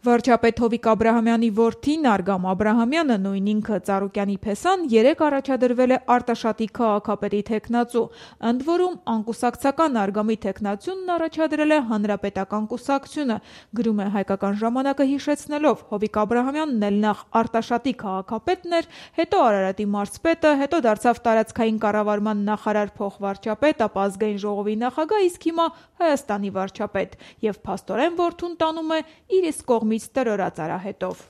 Վարչապետ Հովիկ Աբրահամյանի որդին Արգամ Աբրահամյանը, նույն ինքը Ծառուկյանի Փեսան, երեկ առաջադրվել է Արտաշատի քաղաքապետի թեկնածու, ընդ որում անկուսակցական Արգամի թեկնածունն առաջադրել է Հանրապետական կուսակցությունը, գրում է Հայկական ժամանակը հիշեցնելով. Հովիկ Աբրահամյանն էլ նախ Արտաշատի քաղաքապետն էր, հետո Արարատի մարզպետը, հետո դարձավ տարածքային կառավարման նախարար փոխվարչապետ, ապա ազգային ժողովի նախագահ, իսկ հիմա Հայաստանի վարչապետ, եւ փաստորեն որդուն տանում է իր իսկ կողմից տրորած արահետով։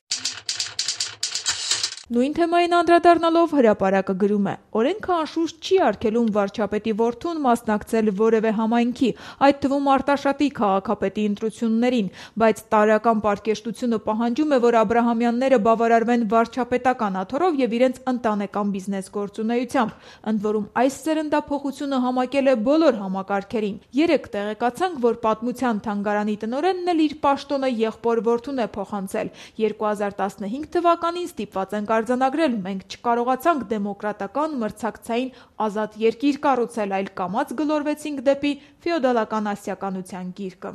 Նույն թեմային անդրադառնալով հրապարակը գրում է. օրենքը անշուշտ չի արգելում վարչապետի որդուն մասնակցել որևէ համայնքի, այդ թվում Արտաշատի քաղաքապետի ընտրություններին, բայց տարրական պարկեշտությունը պահանջում է, որ Աբրահամյանները բավարարվեն վարչապետական աթոռով եւ իրենց ընտանեկան բիզնես գործունեությամբ, ընդ որում այս սերնդափոխությունը համակել է բոլոր համակարգերին։ Երեկ տեղեկացանք, որ պատմության թանգարանի տնօրենն էլ իր պաշտոնը եղբոր որդուն է փոխանցել։ 2015 թվականին ստիպված ենք արձանագրել, մենք չկարողացանք դեմոկրատական մրցակցային ազատ երկիր կառուցել, այլ կամաց գլորվեցինք դեպի ֆեոդալական ասիականության գիրկը։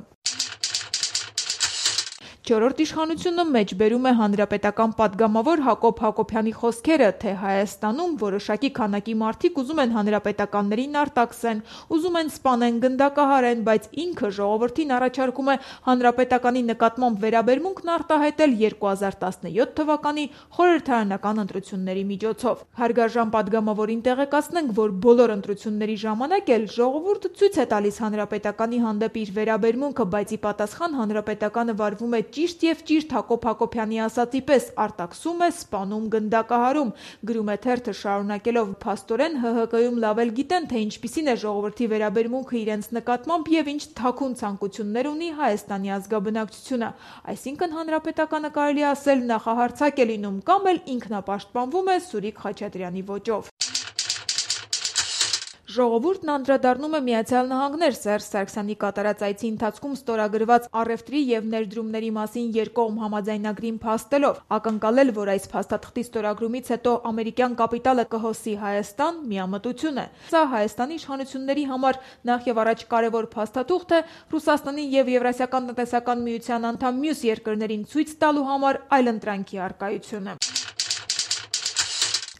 Չորրորդ իշխանությունը մեջբերում է հանրապետական պատգամավոր Հակոբ Հակոբյանի խոսքերը, թե Հայաստանում որոշակի քանակի մարդիկ ուզում են հանրապետականներին արտաքսեն, ուզում են սպանեն, գնդակահարեն, բայց ինքը ժողովրդին առաջարկում է հանրապետականի նկատմամբ վերաբերմունքն արտահայտել 2017 թվականի խորհրդարանական ընտրությունների միջոցով։ Հարգարժան պատգամավորին տեղեկացնենք, որ բոլոր ընտրությունների ժամանակ էլ ժողովուրդը ցույց է տալիս հանրապետականի հանդեպ իր վերաբերմունքը, բայց ի պատասխան հանրապետականը վարվում է ճիշտ եւ ճիշտ Հակոբ Հակոբյանի ասացի պես արտաքսում է, սպանում, գնդակահարում, գրում է թերթը շարունակելով. փաստորեն ՀՀԿ-ում լավ էլ գիտեն, թե ինչպիսին է ժողովրդի վերաբերմունքը իրենց նկատմամբ եւ ինչ թաքուն ցանկություններ ունի Հայաստանի ազգաբնակչությունը, այսինքն հանրապետականը կարելի ասել նախահարցակ է լինում կամ էլ ինքնապաշտպանվում է Սուրիկ Խաչատրյանի ոճով։ Ժողովուրդն անդրադառնում է Միացյալ Նահանգներ Սերժ Սարգսյանի կատարած այցի ընթացքում ստորագրված առևտրի եւ ներդրումների մասին երկկողմ համաձայնագրին փաստելով, ակնկալել, որ այս փաստաթղթի ստորագրումից հետո ամերիկյան կապիտալը կհոսի Հայաստան, միամտություն է։ Սա Հայաստանի իշխանությունների համար նախ եւ առաջ կարևոր փաստաթուղթ է Ռուսաստանի եւ Եվրասիական տնտեսական միության անդամ մյուս երկրներին ցույց տալու համար այլընտրանքի առկայությունը։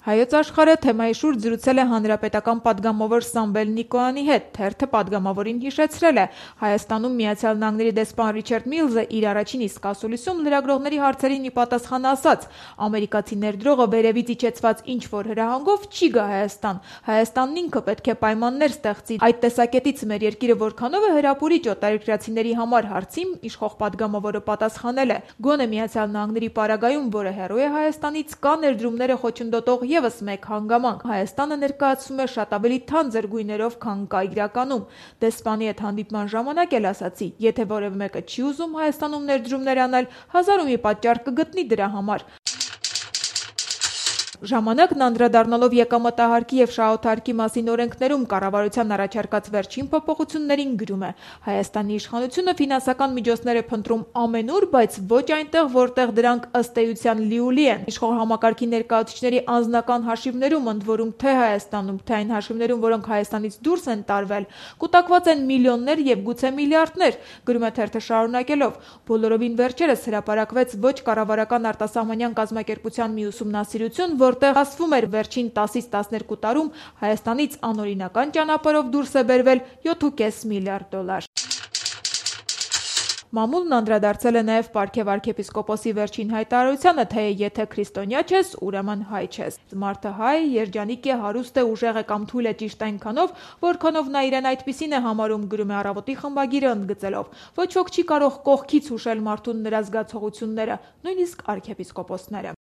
Հայոց աշխարհը թեմայի շուրջ զրուցել է հանրապետական պատգամավոր Սամվել Նիկոյանի հետ, թերթը պատգամավորին հիշեցրել է. Հայաստանում Միացյալ Նահանգների դեսպան Ռիչարդ Միլզը իր առաջին իսկ ասուլիսում լրագրողների հարցերին ի պատասխան ասաց. ամերիկացի ներդրողը վերևից իջեցված ինչ-որ հրահանգով չի գա Հայաստան, Հայաստանն ինքը պետք է պայմաններ ստեղծի, այդ տեսակետից մեր երկիրը որքանով է հրապուրիչ օտարերկրացիների համար հարցին իշխող պատգամավորը պատասխանել է. գոնե Միացյալ Նահանգների պարագայում, որը հեռու է Հայաստանից, կա ներդրումները խոչընդոտող եւս մեկ հանգամանք. Հայաստանը ներկայացվում է շատ ավելի թանձր գույներով, քան կա իրականում։ Դեսպանի հետ հանդիպման ժամանակ էլ ասացի, եթե որևէ մեկը չի ուզում Հայաստանում ներդրումներ անել, հազար ու մի պատճառ կգտնի դրա համար։ Ժամանակն անդրադառնալով եկամտահարկի եւ շահութարկի մասին օրենքներում կառավարության առաջարկած վերջին փոփոխություններին գրում է. Հայաստանի իշխանությունը ֆինանսական միջոցներ է փնտրում ամենուր, բայց ոչ այնտեղ, որտեղ դրանք ըստ էության լիուլի են։ Իշխող համակարգի ներկայացուցիչների անձնական հաշիվներում, ընդ որում թե Հայաստանում, թե այն հաշիվներում, որոնք Հայաստանից դուրս են տարվել, կուտակված են միլիոններ եւ գուցե միլիարդներ, գրում է թերթը շարունակելով. բոլորովին վերջերս հրապարակվեց ոչ կառավարական արտասահմանյան կազմակերպության մի ուսումնասիրություն, որտեղ ասվում էր վերջին 10-ից 12 տարում Հայաստանից անօրինական ճանապարհով դուրս է բերվել 7.5 միլիարդ դոլար։ Մամուլն անդրադարձել է նաև Պարքև arczepiskopos-ի վերջին հայտարարությանը, թե եթե քրիստոնյա չես, ուրեմն հայ չես։ Մարդը հայ, երջանիկ է, հարուստ է, ուժեղ է կամ թույլ է ճիշտ այնքանով, որքանով նա իրեն այդպիսին է համարում, գրում է Առավոտի խմբագիրը ընդգծելով. ոչ ոք չի կարող կողքից հուշել մարդուն նրա զգացողությունները, նույնիսկ arczepiskopos-ները։